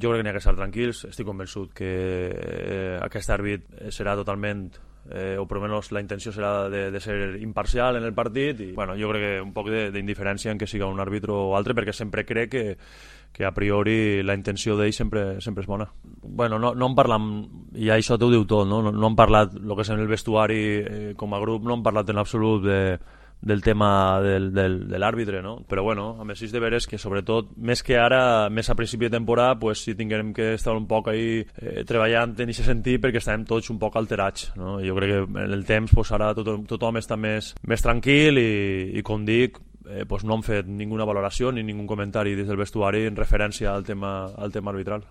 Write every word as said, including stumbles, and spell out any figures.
Jo crec que n'hi ha que estar tranquils. Estic convençut que eh, aquest àrbit serà totalment, eh, o per almenys la intenció serà de, de ser imparcial en el partit, i bueno, jo crec que un poc d'indiferència en que siga un àrbitre o altre, perquè sempre crec que, que a priori la intenció d'ell sempre, sempre és bona. Bueno, no, no en parlam, i això t'ho diu tot, no? No, no hem parlat, el que és en el vestuari eh, com a grup, no hem parlat en absolut de del tema del, del, de l'àrbitre, no? Però bueno, a més és de veres que sobretot, més que ara, més a principi de temporada, pues sí tinguem que estar un poc ahí eh, treballant en aquest sentit, perquè estàvem tots un poc alterats, no? Jo crec que en el temps pues, ara tot, tothom està més, més tranquil i, i com dic, eh, pues no han fet ninguna valoració ni ningun comentari des del vestuari en referència al tema, al tema arbitral.